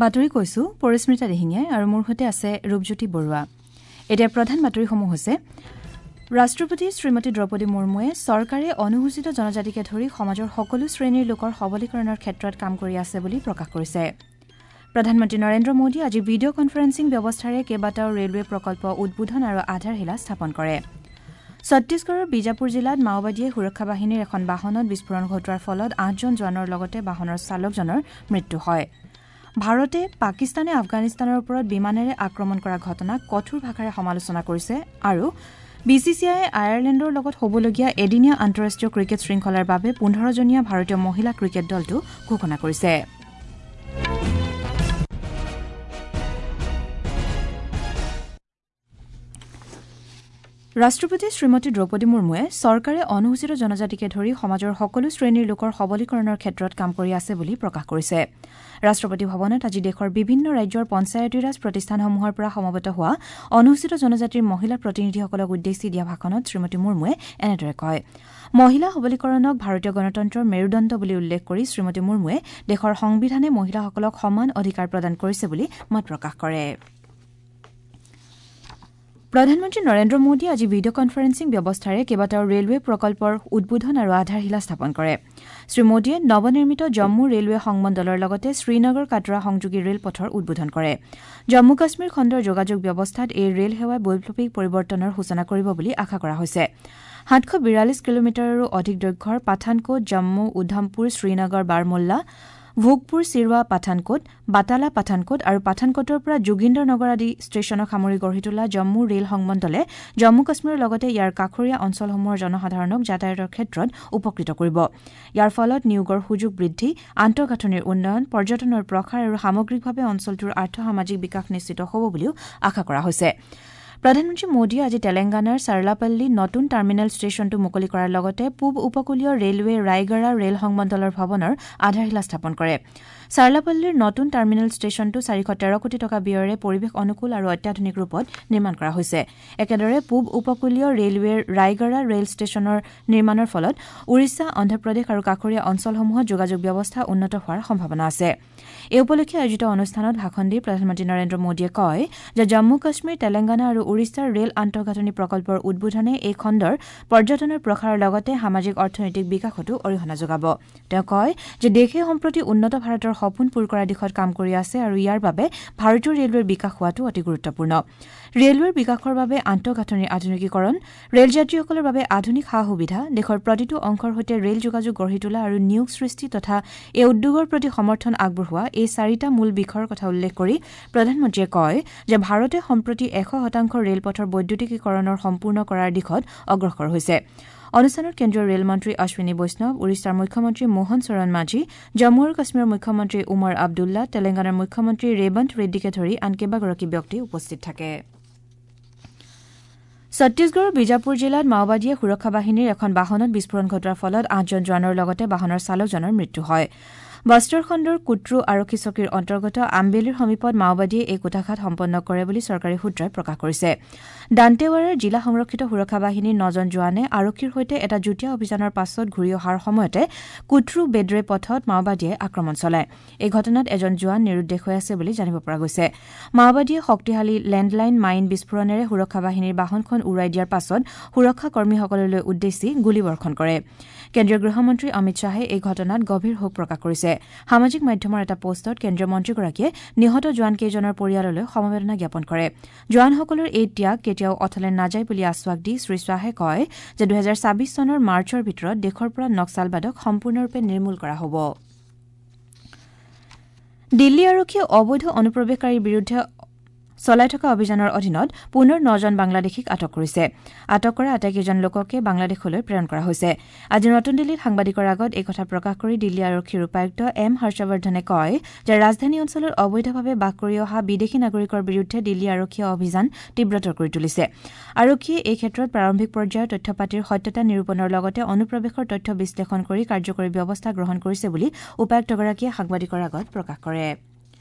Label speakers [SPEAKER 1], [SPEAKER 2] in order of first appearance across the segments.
[SPEAKER 1] বাতৰি কৈছো পৰিস্মিতা দিহিঙীয়াই আৰু মোৰ সৈতে আছে ৰূপজ্যোতি বৰুৱা। এতিয়া প্ৰধান বাতৰিসমূহ হৈছে ৰাষ্ট্ৰপতি শ্ৰীমতী দ্ৰৌপদী মুৰ্মুৱে চৰকাৰে অনুসূচিত জনজাতিকে ধৰি সমাজৰ সকলো শ্ৰেণীৰ লোকৰ সবলীকৰণৰ ক্ষেত্ৰত কাম কৰি আছে বুলি প্ৰকাশ কৰিছে। প্ৰধানমন্ত্ৰী নৰেন্দ্ৰ মোদীয়ে আজি ভিডিঅ' কনফাৰেন্সিং ব্যৱস্থাৰে কেইবাটাও ৰেলৱে প্ৰকল্প উদ্বোধন আৰু আধাৰশিলা স্থাপন কৰে। ছত্তীশগড়ৰ বিজাপুৰ জিলাত মাওবাদীয়ে সুৰক্ষা বাহিনীৰ এখন বাহনত বিস্ফোৰণ ঘটোৱাৰ ফলত ৮জন জোৱানৰ লগতে বাহনৰ চালকজনৰ মৃত্যু হয়। ভাৰতে পাকিস্তানে আফগানিস্তানৰ ওপৰত বিমানেৰে আক্ৰমণ কৰা ঘটনাক কঠোৰ ভাষাৰে সমালোচনা কৰিছে আৰু বি চি চি আইয়ে আয়াৰলেণ্ডৰ লগত হ'বলগীয়া এদিনীয়া আন্তঃৰাষ্ট্ৰীয় ক্ৰিকেট শৃংখলাৰ বাবে ১৫জনীয়া ভাৰতীয় মহিলা ক্ৰিকেট দলটো ঘোষণা কৰিছে। ৰাষ্ট্ৰপতি শ্ৰীমতী দ্ৰৌপদী মুৰ্মুৱে চৰকাৰে অনুসূচিত জনজাতিকে ধৰি সমাজৰ সকলো শ্ৰেণীৰ লোকৰ সবলীকৰণৰ ক্ষেত্ৰত কাম কৰি আছে বুলি প্ৰকাশ কৰিছে। ৰাষ্ট্ৰপতি ভৱনত আজি দেশৰ বিভিন্ন ৰাজ্যৰ পঞ্চায়তীৰাজ প্ৰতিষ্ঠানসমূহৰ পৰা সমবেত হোৱা অনুসূচিত জনজাতিৰ মহিলা প্ৰতিনিধিসকলক উদ্দেশ্যি দিয়া ভাষণত শ্ৰীমতী মুৰ্মুৱে এনেদৰে কয়। মহিলা সবলীকৰণক ভাৰতীয় গণতন্ত্ৰৰ মেৰুদণ্ড বুলি উল্লেখ কৰি শ্ৰীমতী মুৰ্মুৱে দেশৰ সংবিধানে মহিলাসকলক সমান অধিকাৰ প্ৰদান কৰিছে বুলি মত প্ৰকাশ কৰে। প্ৰধানমন্ত্ৰী নৰেন্দ্ৰ মোদীয়ে আজি ভিডিঅ' কনফাৰেন্সিং ব্যৱস্থাৰে কেইবাটাও ৰেলৱে প্ৰকল্পৰ উদ্বোধন আৰু আধাৰশিলা স্থাপন কৰে। শ্ৰীমোদীয়ে নৱনিৰ্মিত জম্মু ৰেলৱে সংমণ্ডলৰ লগতে শ্ৰীনগৰ কাটৰা সংযোগী ৰেলপথৰ উদ্বোধন কৰে। জম্মু কাশ্মীৰ খণ্ডৰ যোগাযোগ ব্যৱস্থাত এই ৰেল সেৱাই বৈপ্লৱিক পৰিৱৰ্তনৰ সূচনা কৰিব বুলি আশা কৰা হৈছে। ৭৪২ কিলোমিটাৰৰো অধিক দৈৰ্ঘ্যৰ পাঠানকোট জম্মু উধমপুৰ শ্ৰীনগৰ বাৰমুল্লা ভোগপুৰ চিৰৱা পাঠানকোট বাটালা পাঠানকোট আৰু পাঠানকোটৰ পৰা যোগিন্দৰ নগৰ আদি ষ্টেচনক সামৰি গঢ়ি তোলা জম্মু ৰেল সংমণ্ডলে জম্মু কাশ্মীৰৰ লগতে ইয়াৰ কাষৰীয়া অঞ্চলসমূহৰ জনসাধাৰণক যাতায়াতৰ ক্ষেত্ৰত উপকৃত কৰিব। ইয়াৰ ফলত নিয়োগৰ সুযোগ বৃদ্ধি, আন্তঃগাঁথনিৰ উন্নয়ন, পৰ্যটনৰ প্ৰসাৰ আৰু সামগ্ৰিকভাৱে অঞ্চলটোৰ আৰ্থ-সামাজিক বিকাশ নিশ্চিত হ'ব বুলিও আশা কৰা হৈছে। প্ৰধানমন্ত্ৰী মোদীয়ে আজি তেলেংগানাৰ চাৰ্লাপল্লী নতুন টাৰ্মিনেল ষ্টেচনটো মুকলি কৰাৰ লগতে পূব উপকূলীয় ৰেলৱে ৰায়গড়া ৰেল সংমণ্ডলৰ ভৱনৰ আধাৰশিলা স্থাপন কৰে। চাৰ্লাপল্লীৰ নতুন টাৰ্মিনেল ষ্টেচনটো ৪১৩ কোটি টকা ব্যয়েৰে পৰিৱেশ অনুকূল আৰু অত্যাধুনিক ৰূপত নিৰ্মাণ কৰা হৈছে। একেদৰে পূব উপকূলীয় ৰেলৱেৰ ৰায়গড়া ৰেল ষ্টেচনৰ নিৰ্মাণৰ ফলত উৰিষ্যা, অন্ধ্ৰপ্ৰদেশ আৰু কাষৰীয়া অঞ্চলসমূহত যোগাযোগ ব্যৱস্থা উন্নত হোৱাৰ সম্ভাৱনা আছে। এই উপলক্ষে আয়োজিত অনুষ্ঠানত ভাষণ দি প্ৰধানমন্ত্ৰী নৰেন্দ্ৰ মোদীয়ে কয় যে জম্মু কাশ্মীৰ, তেলেংগানা আৰু উৰিষ্যাৰ ৰেল আন্তঃগাঁথনি প্ৰকল্পৰ উদ্বোধনে এই খণ্ডৰ পৰ্যটনৰ প্ৰসাৰৰ লগতে সামাজিক অৰ্থনৈতিক বিকাশতো অৰিহণা যোগাব। তেওঁ কয় যে দেশে সম্প্ৰতি উন্নত ভাৰতৰ সপোন পূৰ কৰাৰ দিশত কাম কৰি আছে আৰু ইয়াৰ বাবে ভাৰতীয় ৰেলৱেৰ বিকাশ হোৱাটো অতি গুৰুত্বপূৰ্ণ। ৰেলৱেৰ বিকাশৰ বাবে আন্তঃগাঁথনিৰ আধুনিকীকৰণ, ৰেল যাত্ৰীসকলৰ বাবে আধুনিক সা সুবিধা, দেশৰ প্ৰতিটো অংশৰ সৈতে ৰেল যোগাযোগ গঢ়ি তোলা আৰু নিয়োগ সৃষ্টি তথা এই উদ্যোগৰ প্ৰতি সমৰ্থন আগবঢ়োৱা এই চাৰিটা মূল বিষয়ৰ কথা উল্লেখ কৰি প্ৰধানমন্ত্ৰীয়ে কয় যে ভাৰতে সম্প্ৰতি ১০০% ৰেলপথৰ বৈদ্যুতিকীকৰণৰ সম্পূৰ্ণ কৰাৰ দিশত অগ্ৰসৰ হৈছে। অনুষ্ঠানত কেন্দ্ৰীয় ৰেলমন্ত্ৰী অশ্বিনী বৈষ্ণৱ, উৰিষ্যাৰ মুখ্যমন্ত্ৰী মোহন চৰণ মাঝি, জম্মু আৰু কাশ্মীৰৰ মুখ্যমন্ত্ৰী উমৰ আব্দুল্লা, তেলেংগানাৰ মুখ্যমন্ত্ৰী ৰেৱন্ত ৰেড্ডীকে ধৰি আন কেইবাগৰাকী ব্যক্তি উপস্থিত থাকে। ছত্তীশগড়ৰ বিজাপুৰ জিলাত মাওবাদীয়ে সুৰক্ষা বাহিনীৰ এখন বাহনত বিস্ফোৰণ ঘটোৱাৰ ফলত ৮জন জোৱানৰ লগতে বাহনৰ চালকজনৰ মৃত্যু হয়। বস্তৰ খণ্ডৰ কুট্ৰু আৰক্ষী চকীৰ অন্তৰ্গত আম্বেলিৰ সমীপত মাওবাদীয়ে এই কূটাঘাত সম্পন্ন কৰে বুলি চৰকাৰী সূত্ৰই প্ৰকাশ কৰিছে। দান্তেৱাৰাৰ জিলা সংৰক্ষিত সুৰক্ষা বাহিনীৰ ৯জন জোৱানে আৰক্ষীৰ সৈতে এটা যুটীয়া অভিযানৰ পাছত ঘূৰি অহাৰ সময়তে কুট্ৰু বেদ্ৰে পথত মাওবাদীয়ে আক্ৰমণ চলায়। এই ঘটনাত এজন জোৱান নিৰুদ্দেশ হৈ আছে বুলি জানিব পৰা গৈছে। মাওবাদীয়ে শক্তিশালী লেণ্ডলাইন মাইন বিস্ফোৰণেৰে সুৰক্ষা বাহিনীৰ বাহনখন উৰুৱাই দিয়াৰ পাছত সুৰক্ষা কৰ্মীসকললৈ উদ্দেশ্যি গুলীবৰ্ষণ কৰে। কেন্দ্ৰীয় গৃহমন্ত্ৰী অমিত শ্বাহে এই ঘটনাত গভীৰ শোক প্ৰকাশ কৰিছে। সামাজিক মাধ্যমৰ এটা পোষ্টত কেন্দ্ৰীয় মন্ত্ৰীগৰাকীয়ে নিহত জোৱানকেইজনৰ পৰিয়াললৈ সমবেদনা জ্ঞাপন কৰে। জোৱানসকলৰ এই ত্যাগ কেতিয়াও অথলে নাযায় বুলি আশ্বাস দি শ্ৰীশ্বাহে কয় যে ২০২৬ চনৰ মাৰ্চৰ ভিতৰত দেশৰ পৰা নক্সালবাদক সম্পূৰ্ণৰূপে নিৰ্মূল কৰা হ'ব। দিল্লী আৰক্ষীয়ে অবৈধ অনুপ্ৰৱেশকাৰীৰ বিৰুদ্ধে চলাই থকা অভিযানৰ অধীনত পুনৰ ৯জন বাংলাদেশীক আটক কৰিছে। আটক কৰা আটাইকেইজন লোককে বাংলাদেশলৈ প্ৰেৰণ কৰা হৈছে। আজি নতুন দিল্লীত সাংবাদিকৰ আগত এই কথা প্ৰকাশ কৰি দিল্লী আৰক্ষীৰ উপায়ুক্ত এম হৰ্ষবৰ্ধনে কয় যে ৰাজধানী অঞ্চলত অবৈধভাৱে বাস কৰি অহা বিদেশী নাগৰিকৰ বিৰুদ্ধে দিল্লী আৰক্ষীয়ে অভিযান তীব্ৰতৰ কৰি তুলিছে। আৰক্ষীয়ে এই ক্ষেত্ৰত প্ৰাৰম্ভিক পৰ্যায়ৰ তথ্য পাতিৰ সত্যতা নিৰূপণৰ লগতে অনুপ্ৰৱেশৰ তথ্য বিশ্লেষণ কৰি কাৰ্যকৰী ব্যৱস্থা গ্ৰহণ কৰিছে বুলি উপায়ুক্তগৰাকীয়ে সাংবাদিকৰ আগত প্ৰকাশ কৰে।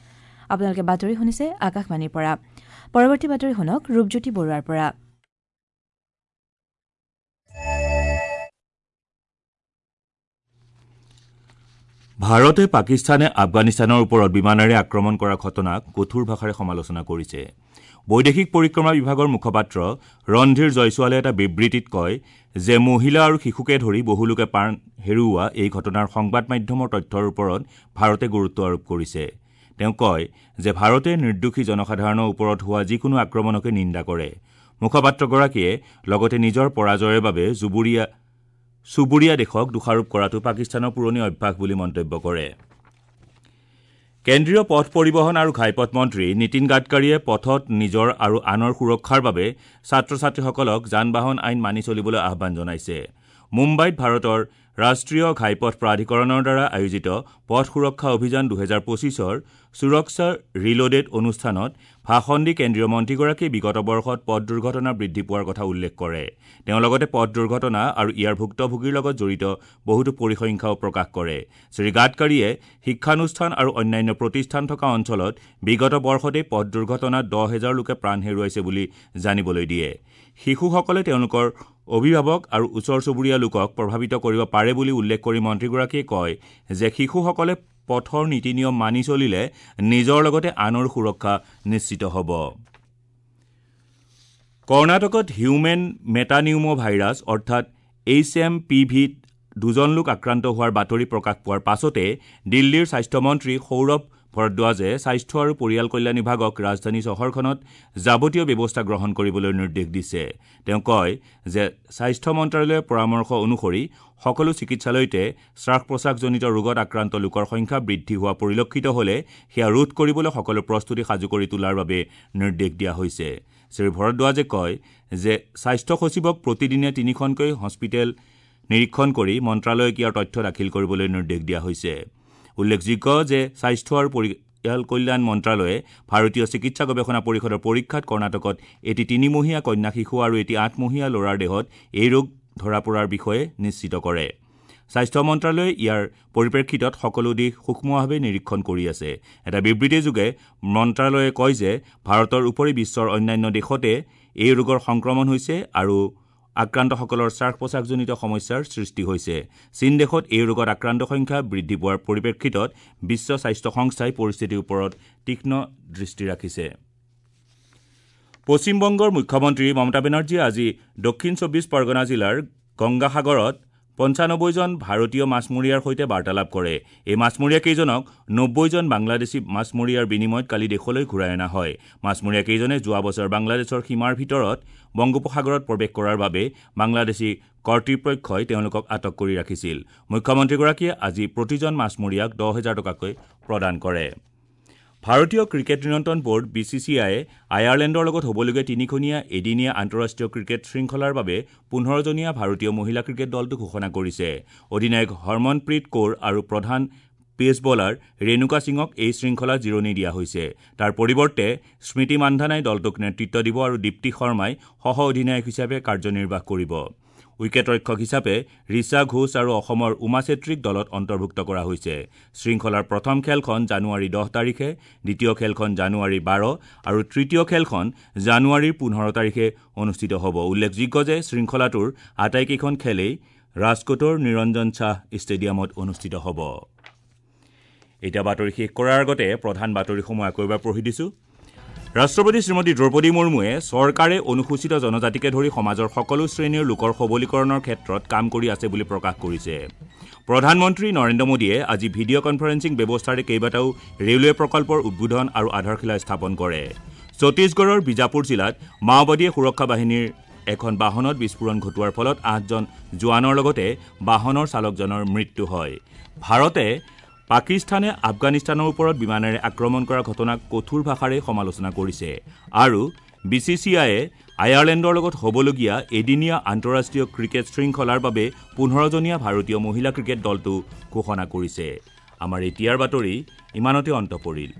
[SPEAKER 1] আপোনালোকে বাতৰি শুনিছে আকাশবাণীৰ পৰা। পৰৱৰ্তী বাতৰি শুনক ৰূপজ্যোতি বৰুৱাৰ পৰা।
[SPEAKER 2] ভাৰতে পাকিস্তানে আফগানিস্তানৰ ওপৰত বিমানেৰে আক্ৰমণ কৰা ঘটনাক কঠোৰ ভাষাৰে সমালোচনা কৰিছে। বৈদেশিক পৰিক্ৰমা বিভাগৰ মুখপাত্ৰ ৰণধীৰ জয়ছোৱালে এটা বিবৃতিত কয় যে মহিলা আৰু শিশুকে ধৰি বহু লোকে প্ৰাণ হেৰুওৱা এই ঘটনাৰ সংবাদ মাধ্যমৰ তথ্যৰ ওপৰত ভাৰতে গুৰুত্ব আৰোপ কৰিছে। তেওঁ কয় যে ভাৰতে নিৰ্দোষী জনসাধাৰণৰ ওপৰত হোৱা যিকোনো আক্ৰমণকে নিন্দা কৰে। মুখপাত্ৰগৰাকীয়ে লগতে নিজৰ পৰাজয়ৰ বাবে চুবুৰীয়া দেশক দোষাৰোপ কৰাটো পাকিস্তানৰ পুৰণি অভ্যাস বুলি মন্তব্য কৰে। কেন্দ্ৰীয় পথ পৰিবহণ আৰু ঘাইপথ মন্ত্ৰী নীতিন গাডকাৰীয়ে পথত নিজৰ আৰু আনৰ সুৰক্ষাৰ বাবে ছাত্ৰ ছাত্ৰীসকলক যান বাহন আইন মানি চলিবলৈ আহ্বান জনাইছে। মুম্বাইত ভাৰতৰ ৰাষ্ট্ৰীয় ঘাইপথ প্ৰাধিকৰণৰ দ্বাৰা আয়োজিত পথ সুৰক্ষা অভিযান 2025ৰ সুৰক্ষা ৰিলোডেড অনুষ্ঠানত ভাষণ দি কেন্দ্ৰীয় মন্ত্ৰীগৰাকীয়ে বিগত বৰ্ষত পথ দুৰ্ঘটনা বৃদ্ধি পোৱাৰ কথা উল্লেখ কৰে। তেওঁ লগতে পথ দুৰ্ঘটনা আৰু ইয়াৰ ভুক্তভোগীৰ লগত জড়িত বহুতো পৰিসংখ্যাও প্ৰকাশ কৰে। শ্ৰী গাডকাৰীয়ে শিক্ষানুষ্ঠান আৰু অন্যান্য প্ৰতিষ্ঠান থকা অঞ্চলত বিগত বৰ্ষতেই পথ দুৰ্ঘটনাত 10,000 লোকে প্ৰাণ হেৰুৱাইছে বুলি জানিবলৈ দিয়ে। শিশুসকলে তেওঁলোকৰ অভিভাৱক আৰু ওচৰ চুবুৰীয়া লোকক প্ৰভাৱিত কৰিব পাৰে বুলি উল্লেখ কৰি মন্ত্ৰীগৰাকীয়ে কয় যে শিশুসকলে পথৰ নীতি নিয়ম মানি চলিলে নিজৰ লগতে আনৰ সুৰক্ষা নিশ্চিত হ'ব। কৰ্ণাটকত হিউমেন মেটানিউমো ভাইৰাছ অৰ্থাৎ HMPVত 2জন লোক আক্ৰান্ত হোৱাৰ বাতৰি প্ৰকাশ পোৱাৰ পাছতে দিল্লীৰ স্বাস্থ্যমন্ত্ৰী সৌৰভ ভৰদ্বাজে স্বাস্থ্য আৰু পৰিয়াল কল্যাণ বিভাগক ৰাজধানী চহৰখনত যাৱতীয় ব্যৱস্থা গ্ৰহণ কৰিবলৈ নিৰ্দেশ দিছে। তেওঁ কয় যে স্বাস্থ্য মন্ত্ৰালয়ৰ পৰামৰ্শ অনুসৰি সকলো চিকিৎসালয়তে শ্বাস প্ৰশ্বাসজনিত ৰোগত আক্ৰান্ত লোকৰ সংখ্যা বৃদ্ধি হোৱা পৰিলক্ষিত হ'লে সেয়া ৰোধ কৰিবলৈ সকলো প্ৰস্তুতি সাজু কৰি তোলাৰ বাবে নিৰ্দেশ দিয়া হৈছে। শ্ৰী ভৰদ্বাজে কয় যে স্বাস্থ্য সচিবক প্ৰতিদিনে 3খনকৈ হস্পিটেল নিৰীক্ষণ কৰি মন্ত্ৰালয়ক ইয়াৰ তথ্য দাখিল কৰিবলৈ নিৰ্দেশ দিয়া হৈছে। উল্লেখযোগ্য যে স্বাস্থ্য আৰু পৰিয়াল কল্যাণ মন্ত্ৰালয়ে ভাৰতীয় চিকিৎসা গৱেষণা পৰিষদৰ পৰীক্ষাত কৰ্ণাটকত এটি 3মহীয়া কন্যা শিশু আৰু এটি 8মহীয়া ল'ৰাৰ দেহত এই ৰোগ ধৰা পৰাৰ বিষয়ে নিশ্চিত কৰে। স্বাস্থ্য মন্ত্ৰালয়ে ইয়াৰ পৰিপ্ৰেক্ষিতত সকলো দিশ সূক্ষ্মভাৱে নিৰীক্ষণ কৰি আছে। এটা বিবৃতিযোগে মন্ত্ৰালয়ে কয় যে ভাৰতৰ উপৰি বিশ্বৰ অন্যান্য দেশতে এই ৰোগৰ সংক্ৰমণ হৈছে আৰু আক্ৰান্তসকলৰ শ্বাস প্ৰশ্বাসজনিত সমস্যাৰ সৃষ্টি হৈছে। চীন দেশত এই ৰোগত আক্ৰান্ত সংখ্যা বৃদ্ধি পোৱাৰ পৰিপ্ৰেক্ষিতত বিশ্ব স্বাস্থ্য সংস্থাই পৰিস্থিতিৰ ওপৰত তীক্ষ্ণ দৃষ্টি ৰাখিছে। পশ্চিমবংগৰ মুখ্যমন্ত্ৰী মমতা বেনাৰ্জীয়ে আজি দক্ষিণ 24 পৰগনা জিলাৰ গংগাসাগৰত 95জন ভাৰতীয় মাছমৰীয়াৰ সৈতে বাৰ্তালাপ কৰে। এই মাছমৰীয়াকেইজনক 90জন বাংলাদেশী মাছমৰীয়াৰ বিনিময়ত কালি দেশলৈ ঘূৰাই অনা হয়। মাছমৰীয়াকেইজনে যোৱা বছৰ বাংলাদেশৰ সীমাৰ ভিতৰত বংগোপসাগৰত প্ৰৱেশ কৰাৰ বাবে বাংলাদেশী কৰ্তৃপক্ষই তেওঁলোকক আটক কৰি ৰাখিছিল। মুখ্যমন্ত্ৰীগৰাকীয়ে আজি প্ৰতিজন মাছমৰীয়াক 10,000 টকাকৈ প্ৰদান কৰে। ভাৰতীয় ক্ৰিকেট নিয়ন্ত্ৰণ বোৰ্ড BCCIয়ে আয়াৰলেণ্ডৰ লগত হ'বলগীয়া 3খনীয়া এদিনীয়া আন্তঃৰাষ্ট্ৰীয় ক্ৰিকেট শৃংখলাৰ বাবে 15জনীয়া ভাৰতীয় মহিলা ক্ৰিকেট দলটো ঘোষণা কৰিছে। অধিনায়ক হৰমনপ্ৰীত কৌৰ আৰু প্ৰধান পেচ বলাৰ ৰেণুকা সিঙক এই শৃংখলাত জিৰণি দিয়া হৈছে। তাৰ পৰিৱৰ্তে স্মৃতি মান্ধানাই দলটোক নেতৃত্ব দিব আৰু দীপ্তি শৰ্মাই সহ অধিনায়ক হিচাপে কাৰ্যনিৰ্বাহ কৰিব। উইকেটৰক্ষক হিচাপে ৰিচা ঘোষ আৰু অসমৰ উমা চেত্ৰীক দলত অন্তৰ্ভুক্ত কৰা হৈছে। শৃংখলাৰ প্ৰথম খেলখন জানুৱাৰী 10 তাৰিখে, দ্বিতীয় খেলখন জানুৱাৰী 12 আৰু তৃতীয় খেলখন জানুৱাৰীৰ 15 তাৰিখে অনুষ্ঠিত হ'ব। উল্লেখযোগ্য যে শৃংখলাটোৰ আটাইকেইখন খেলেই ৰাজকোটৰ নিৰঞ্জন শ্বাহ ষ্টেডিয়ামত অনুষ্ঠিত হ'ব। এতিয়া বাতৰি শেষ কৰাৰ আগতে প্ৰধান বাতৰিসমূহ আকৌ এবাৰ পঢ়ি দিছোঁ। ৰাষ্ট্ৰপতি শ্ৰীমতী দ্ৰৌপদী মুৰ্মুৱে চৰকাৰে অনুসূচিত জনজাতিকে ধৰি সমাজৰ সকলো শ্ৰেণীৰ লোকৰ সবলীকৰণৰ ক্ষেত্ৰত কাম কৰি আছে বুলি প্ৰকাশ কৰিছে। প্ৰধানমন্ত্ৰী নৰেন্দ্ৰ মোদীয়ে আজি ভিডিঅ' কনফাৰেন্সিং ব্যৱস্থাৰে কেইবাটাও ৰেলৱে প্ৰকল্পৰ উদ্বোধন আৰু আধাৰশিলা স্থাপন কৰে। ছত্তীশগড়ৰ বিজাপুৰ জিলাত মাওবাদীয়ে সুৰক্ষা বাহিনীৰ এখন বাহনত বিস্ফোৰণ ঘটোৱাৰ ফলত 8জন জোৱানৰ লগতে বাহনৰ চালকজনৰ মৃত্যু হয়। ভাৰতে পাকিস্তানে আফগানিস্তানৰ ওপৰত বিমানেৰে আক্ৰমণ কৰা ঘটনাক কঠোৰ ভাষাৰে সমালোচনা কৰিছে আৰু BCCIয়ে আয়াৰলেণ্ডৰ লগত হ'বলগীয়া এদিনীয়া আন্তঃৰাষ্ট্ৰীয় ক্ৰিকেট শৃংখলাৰ বাবে 15জনীয়া ভাৰতীয় মহিলা ক্ৰিকেট দলটো ঘোষণা কৰিছে। আমাৰ এতিয়াৰ বাতৰি ইমানতে অন্ত পৰিল।